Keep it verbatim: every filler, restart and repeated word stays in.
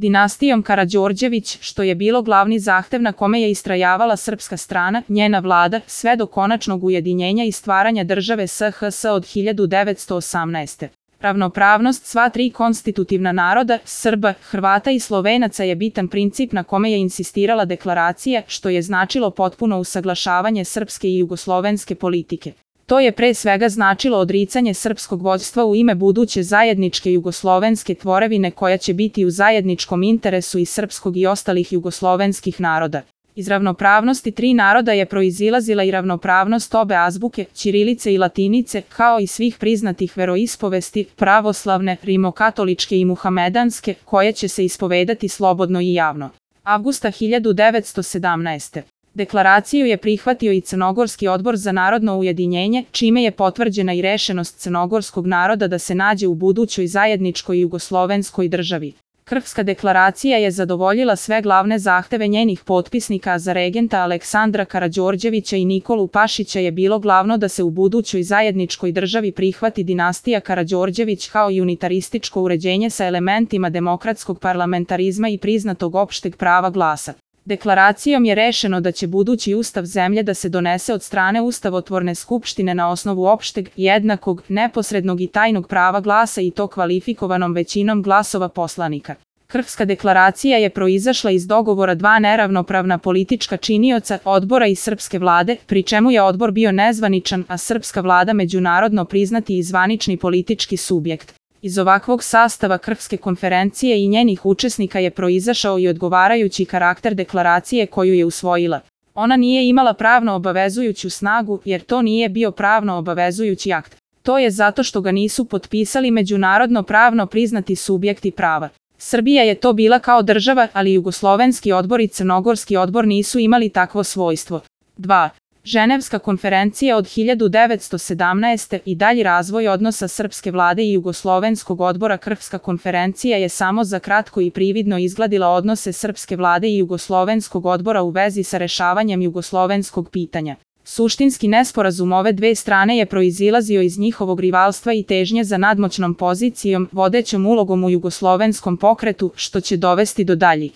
dinastijom Karađorđević, što je bilo glavni zahtev na kome je istrajavala srpska strana, njena vlada, sve do konačnog ujedinjenja i stvaranja države S H S od hiljadu devetsto osamnaeste. Ravnopravnost sva tri konstitutivna naroda, Srba, Hrvata i Slovenaca je bitan princip na kome je insistirala deklaracija, što je značilo potpuno usaglašavanje srpske i jugoslovenske politike. To je pre svega značilo odricanje srpskog vođstva u ime buduće zajedničke jugoslovenske tvorevine koja će biti u zajedničkom interesu i srpskog i ostalih jugoslovenskih naroda. Iz ravnopravnosti tri naroda je proizilazila i ravnopravnost obe azbuke, ćirilice i latinice, kao i svih priznatih veroispovesti, pravoslavne, rimokatoličke i muhamedanske, koje će se ispovedati slobodno i javno. Avgusta hiljadu devetsto sedamnaeste. Deklaraciju je prihvatio i Crnogorski odbor za narodno ujedinjenje, čime je potvrđena i rešenost crnogorskog naroda da se nađe u budućoj zajedničkoj jugoslovenskoj državi. Krfska deklaracija je zadovoljila sve glavne zahteve njenih potpisnika, a za regenta Aleksandra Karađorđevića i Nikolu Pašića je bilo glavno da se u budućoj zajedničkoj državi prihvati dinastija Karađorđević kao i unitarističko uređenje sa elementima demokratskog parlamentarizma i priznatog opšteg prava glasa. Deklaracijom je rešeno da će budući ustav zemlje da se donese od strane Ustavotvorne skupštine na osnovu opšteg, jednakog, neposrednog i tajnog prava glasa i to kvalifikovanom većinom glasova poslanika. Krfska deklaracija je proizašla iz dogovora dva neravnopravna politička činioca, odbora i srpske vlade, pri čemu je odbor bio nezvaničan, a srpska vlada međunarodno priznati i zvanični politički subjekt. Iz ovakvog sastava Krfske konferencije i njenih učesnika je proizašao i odgovarajući karakter deklaracije koju je usvojila. Ona nije imala pravno obavezujuću snagu, jer to nije bio pravno obavezujući akt. To je zato što ga nisu potpisali međunarodno pravno priznati subjekti prava. Srbija je to bila kao država, ali Jugoslovenski odbor i Crnogorski odbor nisu imali takvo svojstvo. dva. Ženevska konferencija od hiljadu devetsto sedamnaeste. i dalji razvoj odnosa srpske vlade i Jugoslovenskog odbora. Krfska konferencija je samo za kratko i prividno izgladila odnose srpske vlade i Jugoslovenskog odbora u vezi sa rešavanjem jugoslovenskog pitanja. Suštinski nesporazum ove dve strane je proizilazio iz njihovog rivalstva i težnje za nadmoćnom pozicijom, vodećom ulogom u jugoslovenskom pokretu, što će dovesti do daljih